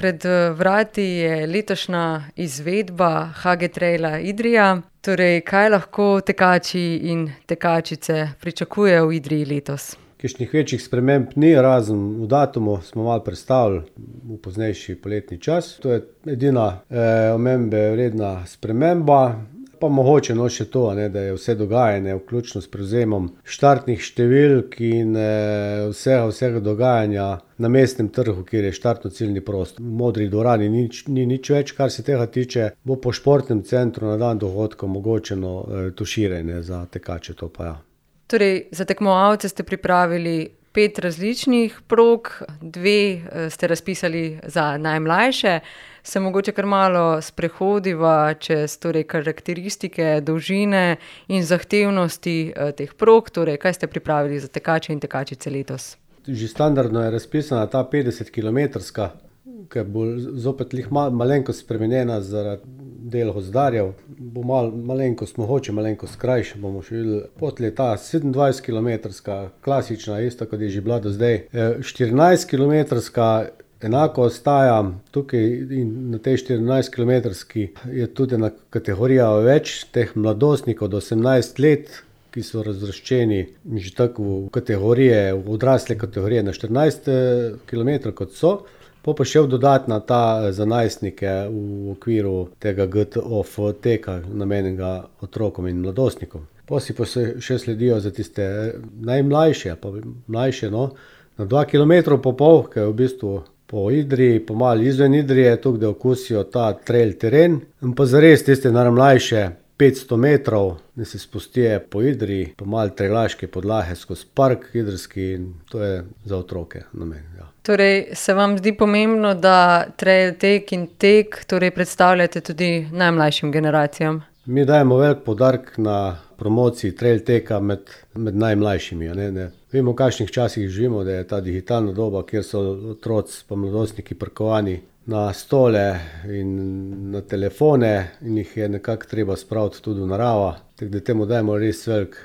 pred vrati je letošnja izvedba HG Traila Idrija. Torej, kaj lahko tekači in tekačice pričakujejo v Idriji letos? Kakšnih večjih sprememb ni, razen v datumu smo malo prestavili v poznejši poletni čas. To je edina omembe vredna sprememba. Pa mogoče še to, da je vse dogajanje, vključno s prevzemom štartnih številk in vsega dogajanja na mestnem trgu, kjer je štartno-ciljni prostor. V Modri dvorani ni nič več, kar se tega tiče. Bo po športnem centru na dan dogodka omogočeno tuširanje za tekače, to pa ja. Torej, za tekmovalce ste pripravili 5 različnih prog, 2 ste razpisali za najmlajše. Se mogoče kar malo sprehodiva čez karakteristike, dolžine in zahtevnosti teh prog. Torej, kaj ste pripravili za tekače in tekačice letos? Že standardno je razpisana ta 50-kilometrska, ki bo zopet malenkost spremenjena zaradi del gozdarjev. Bo malenkost krajša, bomo še videli. Potlej ta 27-kilometrska, klasična, ista kot je že bila do zdaj. 14-kilometrska enako ostaja tukaj in na tej 14-kilometrski je tudi ena kategorija več teh mladostnikov do 18 let, ki so razvrščeni že tako v kategorije, v odrasle kategorije na 14 kilometrov kot so. Pa še dodatna ta za najstnike v okviru tega GTOF teka namenjenega otrokom in mladostnikom. Pa še sledijo za tiste najmlajše, pa mlajše, na 2,5 kilometra, ki je v bistvu po Idriji, po malo izven Idrije, tukaj da okusijo ta trail teren. In pa zares tiste najmlajše 500 metrov, da se spustijo po Idriji, po malo trailaške podlahe skozi park idrijski, in to je za otroke namen. Ja. Torej, se vam zdi pomembno, da trail tek in tek predstavljate tudi najmlajšim generacijam? Mi dajemo velik poudarek na promociji trail teka med najmlajšimi. Vemo, v kakšnih časih živimo, da je ta digitalna doba, kjer so otroci pa mladostniki prikovani na stole in na telefone in jih je nekako treba spraviti tudi v naravo. Tako da temu dajemo res velik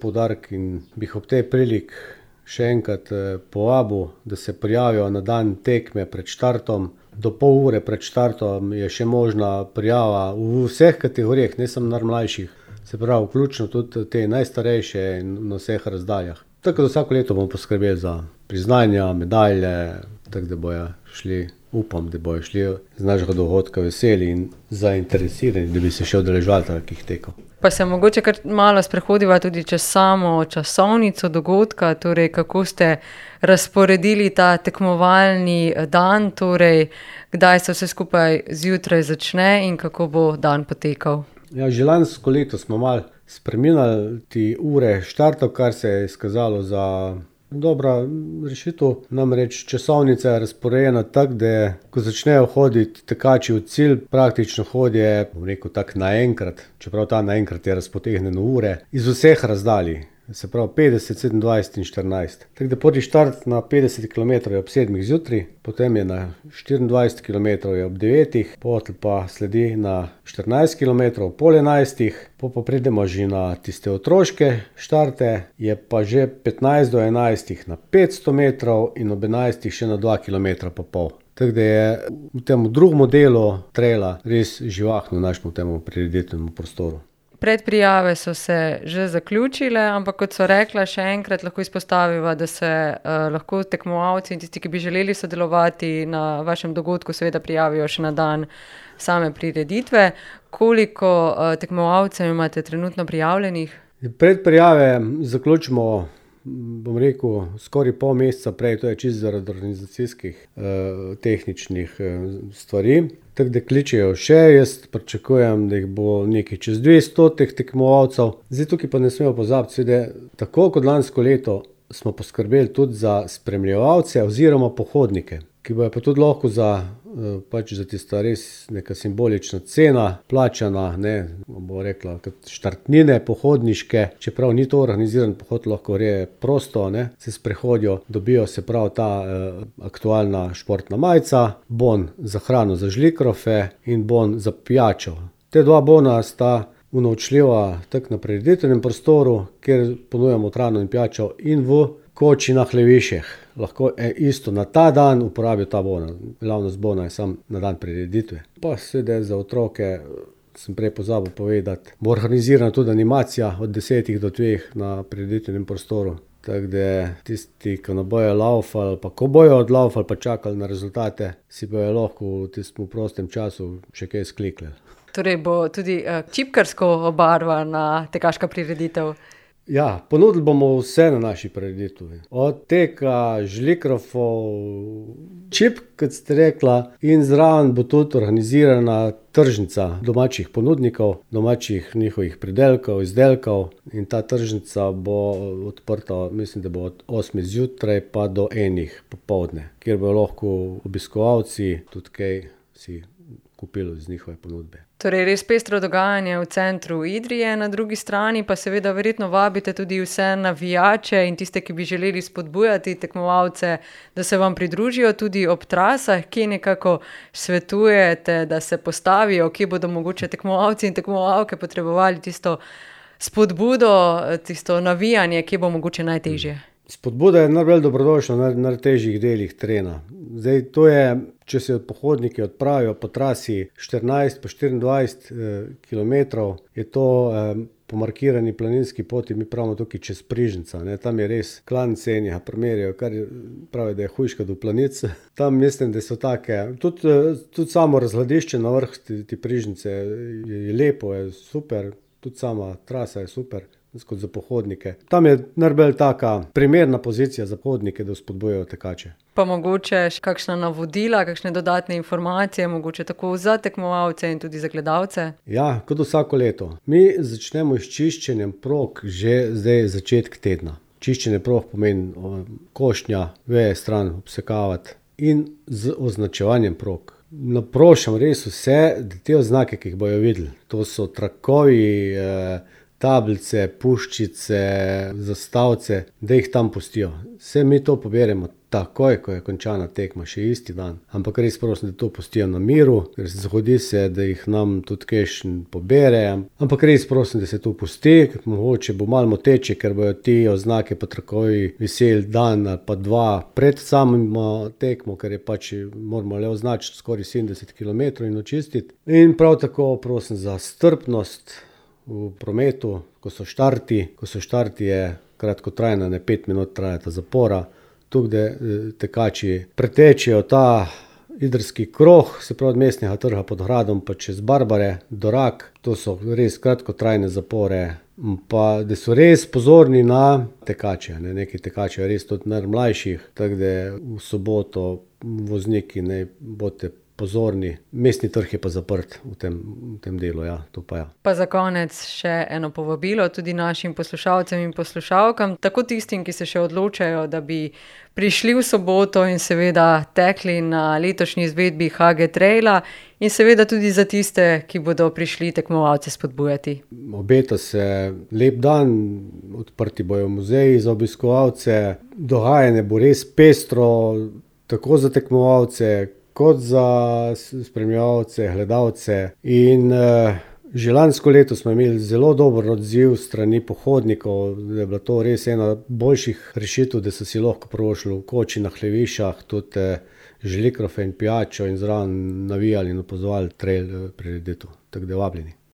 poudarek in bi ob tej prilik še enkrat povabil, da se prijavijo na dan tekme pred štartom. Do pol ure pred štartom je še možna prijava v vseh kategorijah, ne samo najmlajših. Se pravi, vključno tudi te najstarejše in na vseh razdaljah. Tako da vsako leto bomo poskrbeli za priznanja, medalje, tako da bojo šli, upam, da bojo šli z našega dogodka veseli in zainteresirani, da bi se še udeleževali takih tekov. Pa se mogoče kar malo sprehodiva tudi čez samo časovnico dogodka, torej kako ste razporedili ta tekmovalni dan, torej kdaj se vse skupaj zjutraj začne in kako bo dan potekal? Ja, že lansko leto smo malo spreminjali te ure štartov, kar se je izkazalo za dobra rešitev. Namreč časovnica je razporejena tako, da ko začnejo hoditi tekači v cilj, praktično hodijo, bom rekel tako naenkrat, čeprav ta naenkrat je razpotegnjen v ure, iz vseh razdalj. Se pravi 50, 27 in 14. Tako da prvi štart na 50 km je ob 7 zjutraj, potem je na 24 km je ob 9, potem pa sledi na 14 km ob pol 11, pa pridemo že na tiste otroške štarte, je pa že 15 do 11 na 500 metrov in ob 11 še na 2,5 km. Tako da je v tem drugem delu traila res živahno v našem temu prireditvenemu prostoru. Predprijave so se že zaključile, ampak kot so rekla, še enkrat lahko izpostaviva, da se lahko tekmovalci in tisti, ki bi želeli sodelovati na vašem dogodku, seveda prijavijo še na dan same prireditve. Koliko tekmovalcev imate trenutno prijavljenih? Predprijave zaključimo, bom rekel, skoraj pol meseca prej, to je čisto zaradi organizacijskih tehničnih stvari. Tako da kličejo še, jaz pričakujem, da jih bo nekaj čez 200 teh tekmovalcev. Zdaj tukaj pa ne smemo pozabiti, da tako kot lansko leto smo poskrbeli tudi za spremljevalce oziroma pohodnike, ki bojo pa tudi lahko za tista res neka simbolična cena plačana, bo rekla, kot štartnine pohodniške, čeprav ni to organiziran pohod, lahko gre prosto, se sprehodijo, dobijo se prav ta aktualna športna majica, bon za hrano za žlikrofe in bon za pijačo. Te dva bona sta unovčljiva tako na prireditvenem prostoru, kjer ponujamo hrano in pijačo, in v koči na Hleviših. Lahko isto na ta dan uporabijo ta bona. Glavnost bona je sam na dan prireditve. Pa seveda za otroke, sem prej pozabil povedati, bo organizirana tudi animacija od 10 do 2 na prireditvenem prostoru. Tako da tisti, ki ne bojo laufali, pa ko bojo odlaufali pa čakali na rezultate, si bojo lahko v tistem prostem času še kaj sklikljali. Torej bo tudi čipkarsko obarvana tekaška prireditev. Ja, ponudili bomo vse na naši prireditvi. Od teka, žlikrofov, čipk, kot ste rekla, in zraven bo tudi organizirana tržnica domačih ponudnikov, domačih njihovih pridelkov, izdelkov. In ta tržnica bo odprta, mislim, da bo od 8 zjutraj pa do 1 popoldne, kjer bojo lahko obiskovalci tudi kaj si kupili z njihove ponudbe. Torej res pestro dogajanje v centru Idrije, na drugi strani pa seveda verjetno vabite tudi vse navijače in tiste, ki bi želeli spodbujati tekmovalce, da se vam pridružijo tudi ob trasah, kje nekako svetujete, da se postavijo, kje bodo mogoče tekmovalci in tekmovalke potrebovali tisto spodbudo, tisto navijanje, kje bo mogoče najtežje. Spodbuda je najbolj dobrodošla na najtežjih delih terena. Zdaj, to je, če se pohodniki odpravijo po trasi 14 pa 24 kilometrov, je to po markirani planinski poti, mi pravimo tukaj čez Prižnica. Tam je res klance in jih primerjajo, kar pravi, da je hujška do planic. Tam mislim, da so take, tudi samo razgledišče na vrh te Prižnice je lepo, je super, tudi sama trasa je super. Kot za pohodnike. Tam je najbolj taka primerna pozicija za pohodnike, da spodbujajo tekače. Pa mogoče kakšna navodila, kakšne dodatne informacije, mogoče tako za tekmovalce in tudi za gledalce? Ja, kot vsako leto. Mi začnemo s čiščenjem prog že zdaj začetek tedna. Čiščenje prog pomeni košnja, veje stran obsekavati in z označevanjem prog. Naprošam res vse, da te oznake, ki jih bojo videli, to so trakovi, tablice, puščice, zastavce, da jih tam pustijo. Vse mi to poberemo takoj, ko je končana tekma, še isti dan. Ampak res prosim, da to pustijo na miru, ker se zgodi se, da jih nam tudi kakšen pobere. Ampak res prosim, da se to pusti, ker mogoče bo malo moteče, ker bojo ti oznake pa trakovi viseli dan ali pa 2 pred samim tekmo, ker je pač moramo le označiti skoraj 70 km in očistiti. In prav tako prosim za strpnost v prometu, ko so štarti je kratkotrajna, 5 minut trajata zapora, tukaj da tekači pretečejo ta idrski krog, se pravi od Mestnega trga pod gradom pa čez Barbare do Rak, to so res kratkotrajne zapore, pa da so res pozorni na tekače, neki tekači res tudi najmlajših, tako da v soboto vozniki ne boste pozorni. Mestni trg je pa zaprt v tem delu, ja, to pa ja. Pa za konec še eno povabilo tudi našim poslušalcem in poslušalkam, tako tistim, ki se še odločajo, da bi prišli v soboto in seveda tekli na letošnji izvedbi HG Traila in seveda tudi za tiste, ki bodo prišli tekmovalce spodbujati. Obeta se lep dan, odprti bojo muzeji za obiskovalce, dogajanje bo res pestro, tako za tekmovalce, kot za spremljevalce, gledalce in že lansko leto smo imeli zelo dober odziv strani pohodnikov, da je bila to res ena boljših rešitev, da so si lahko privoščili v koči na Hlevišah, tudi žlikrofe in pijačo in zraven navijali in opazovali trail prireditev, tako da vabljeni.